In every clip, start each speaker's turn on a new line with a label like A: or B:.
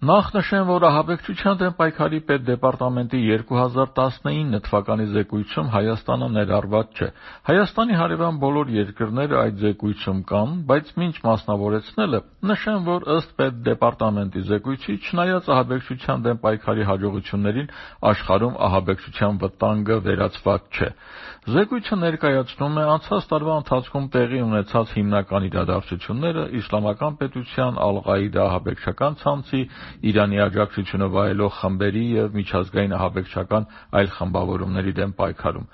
A: Նախ նշեմ, որ ահաբեկչության դեմ պայքարի պետդեպարտամենտի 2019 թվականի զեկույցում Հայաստանը ներառված չէ։ Հայաստանի հարևան բոլոր երկրները այդ զեկույցում կան, բայց մինչ մասնավորեցնելը նշեմ, որ ըստ պետդեպարտամենտի զեկույցի, չնայած ահաբեկչության դեմ պայքարի հաջողություններին, աշխարհում ահաբեկչության վտանգը վերացված չէ։ Զեկույցը ներկայացնում է անցած տարվա ընթացքում տեղի ունեցած հիմնական իրադարձությունները իսլամական պետության Ալ-Ղաիդա ահաբեկչական ցանցի, Իրանի աջակցությունը վայելող խմբերի և միջազգային ահաբեկչական այլ խմբավորումների դեմ պայքարում։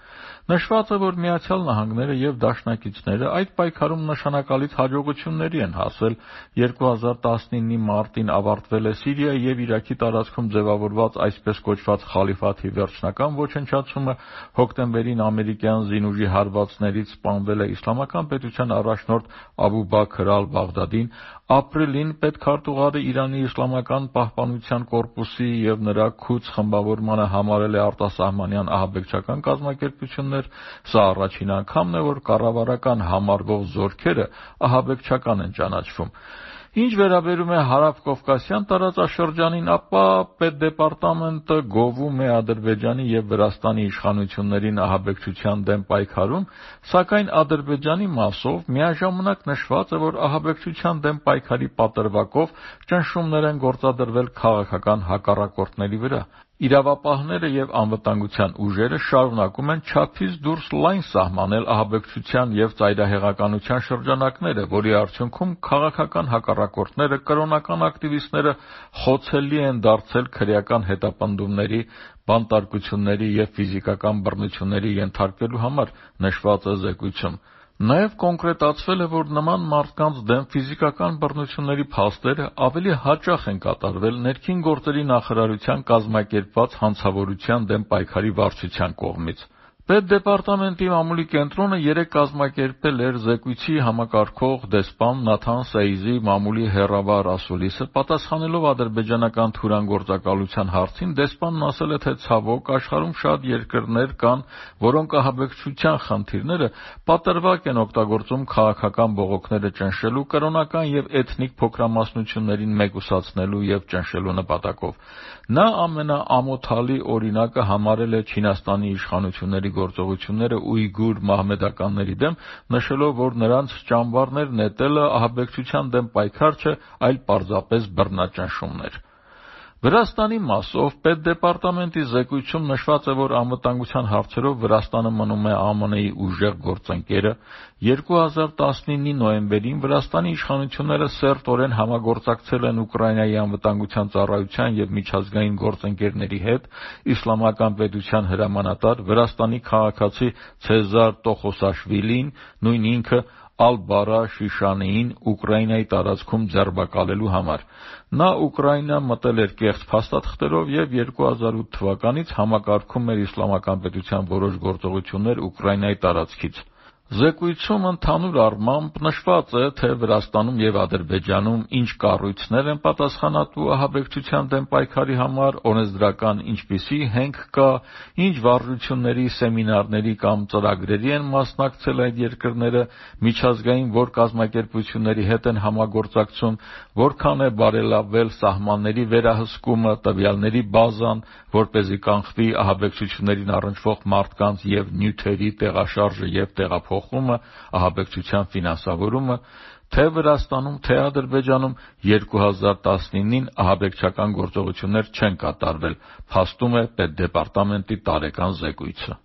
A: Նշված է, որ Միացյալ Նահանգները և դաշնակիցները այդ պայքարում նշանակալից հաջողությունների են հասել։ 2019-ի մարտին ավարտվել է Սիրիայի և Իրաքի տարածքում ձևավորված այսպես կոչված խալիֆաթի վերջնական ոչնչացումը, հոկտեմբերին ամերիկյան զինուժի հարվածներից սպանվել է իսլամական պետության առաջնորդ Աբու Բաքր ալ-Բաղդադին, ապրիլին պետքարտուղարը Իրանի իսլամական պահպանության կորպուսի և նրա քուց խմբավորմանը համարել է արտասահմանյան ահաբեկչական կազմակերպություններ։ Սա առաջին անգամն է, որ կառավարական համարվող զորքերը ահաբեկչական են ճանաչվում։ Ինչ վերաբերում է հարավկովկասյան տարածաշրջանին, ապա պետդեպարտամենտը գովում է Ադրբեջանի և Վրաստանի իշխանություններին ահաբեկչության դեմ պայքարում, սակայն Ադրբեջանի մասով միաժամանակ նշված է, որ ահաբեկչության դեմ պայքարի պատրվակով ճնշումներ են գործադրվել քաղաքական հակառակորդների վրա։ Իրավապահները և անվտանգության ուժերը շարունակում են չափից դուրս լայն սահմանել ահաբեկչության և ծայրահեղականության շրջանակները, որի արդյունքում քաղաքական հակառակորդները, կրոնական ակտիվիստները խոցելի են դարձել քրեական հետապնդումների, բանտարկությունների և ֆիզիկական բռնությունների ենթարկվելու համար, նշված է զեկույցում։ Նաև կոնկրետացվել է, որ նման մարդկանց դեմ ֆիզիկական բռնությունների փաստերը ավելի հաճախ են կատարվել ներքին գործերի նախարարության կազմակերպված հանցավորության դեմ պայքարի վարչության կողմից։ Պետդեպարտամենտի մամուլի կենտրոնը երեկ կազմակերպել էր զեկույցի համակարգող դեսպան Նաթան Սեյզի մամուլի հեռավար ասուլիսը։ Պատասխանելով ադրբեջանական թուրանգործակալության հարցին, դեսպանն ասել է, թե ցավոք, աշխարհում շատ երկրներ կան, որոնք ահաբեկչության խնդիրները պատրվակ են օգտագործում քաղաքական բողոքները ճնշելու, կրոնական և էթնիկ փոքրամասնություններին մեկուսացնելու և ճնշելու նպատակով։ Նա ամենաամոթալի օրինակը համարել է Չինաստանի իշխանությունների գործողությունները ույգուր մահմեդականների դեմ, նշելով, որ նրանց ճամբարներ նետելը ահաբեկչության դեմ պայքար չէ, այլ պարզապես բռնաճնշումն էր։ Վրաստանի մասով պետդեպարտամենտի զեկույցում նշված է, որ անվտանգության հարցերով Վրաստանը մնում է ԱՄՆ-ի ուժեղ գործընկերը։ 2019-ի նոյեմբերին Վրաստանի իշխանությունները սերտորեն համագործակցել են Ուկրաինայի անվտանգության ծառայության և միջազգային գործընկերների հետ։ Իսլամական պետության հրամանատար, Վրաստանի քաղաքացի Ցեզար Տոխոսաշվիլին, նույն ինքը, Ալ-Բարա Շիշանիին Ուկրաինայի տարածքում ձերբակալելու համար։ Նա Ուկրաինա մտել էր կեղծ փաստաթղթերով և 2008 թվականից համակարգում էր իսլամական պետության որոշ գործողություններ Ուկրաինայի տարածքից։ Զեկույցում ընդհանուր առմամբ նշված է, թե Վրաստանում և Ադրբեջանում ինչ կառույցներ են պատասխանատու ահաբեկչության դեմ պայքարի համար, օրենսդրական ինչպիսի հենք կա, ինչ վարժությունների, սեմինարների կամ ծրագրերի են մասնակցել այդ երկրները, միջազգային որ կազմակերպությունների հետ են համագործակցում, որքան է բարելավվել սահմանների վերահսկումը, տվյալների բազան, որպեսզի կանխվի ահաբեկչություններին առնչվող մարդկանց և նյութերի տեղաշարժը և տեղափոխումը, ահաբեկչության ֆինանսավորումը, թե Վրաստանում, թե Ադրբեջանում 2019-ին ահաբեկչական գործողություններ չեն կատարվել, փաստում է պետդեպարտամենտի տարեկան զեկույցը։